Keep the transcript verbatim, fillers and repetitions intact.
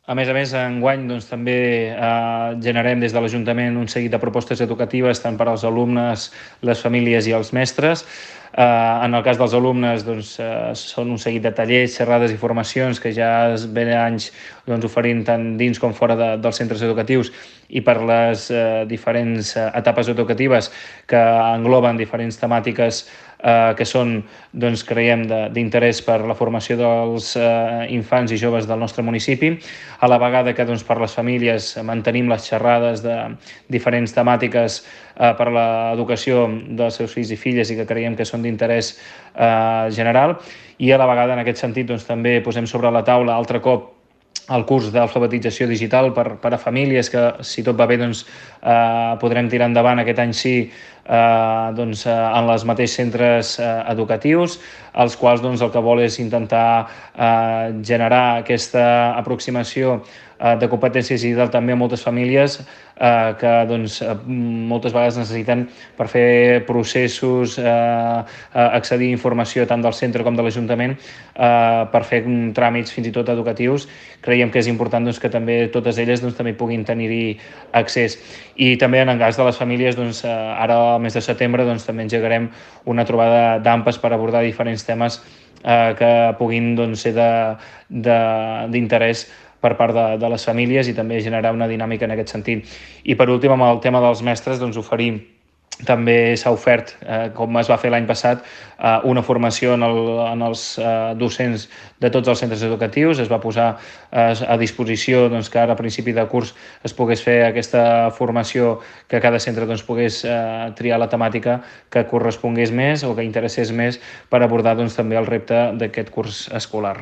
A més a més, enguany doncs, també eh, generem des de l'Ajuntament un seguit de propostes educatives tant per als alumnes, les famílies i els mestres. Eh, en el cas dels alumnes doncs, eh, són un seguit de tallers, xerrades i formacions que ja es ven anys doncs, oferint tant dins com fora de, dels centres educatius i per les eh, diferents eh, etapes educatives que engloben diferents temàtiques eh, que són, doncs, creiem, d'interès per la formació dels eh, infants i joves del nostre municipi, a la vegada que doncs, per les famílies mantenim les xerrades de diferents temàtiques eh, per a l'educació dels seus fills i filles i que creiem que són d'interès eh, general, i a la vegada en aquest sentit doncs, també posem sobre la taula altre cop el curs d'alfabetització digital per, per a famílies que, si tot va bé, doncs, eh, podrem tirar endavant aquest any sí eh, doncs, eh, en els mateixos centres eh, educatius, els quals doncs, el que vol és intentar eh, generar aquesta aproximació eh, de competències digital també a moltes famílies eh, que doncs, moltes vegades necessiten per fer processos, eh, accedir a informació tant del centre com de l'Ajuntament, eh, per fer tràmits fins i tot educatius. Creiem que és important doncs, que també totes elles doncs, també puguin tenir-hi accés. I també en el cas de les famílies, doncs, ara al mes de setembre doncs, també engegarem una trobada d'AMPAs per abordar diferents temes eh, que puguin doncs, ser d'interès per part de, de les famílies i també generar una dinàmica en aquest sentit. I per últim, amb el tema dels mestres, doncs, oferim també s'ha ofert, eh, com es va fer l'any passat, eh, una formació en, el, en els eh, docents de tots els centres educatius. Es va posar eh, a disposició doncs, que ara a principi de curs es pogués fer aquesta formació, que cada centre doncs, pogués eh, triar la temàtica que correspongués més o que interessés més per abordar doncs, també el repte d'aquest curs escolar.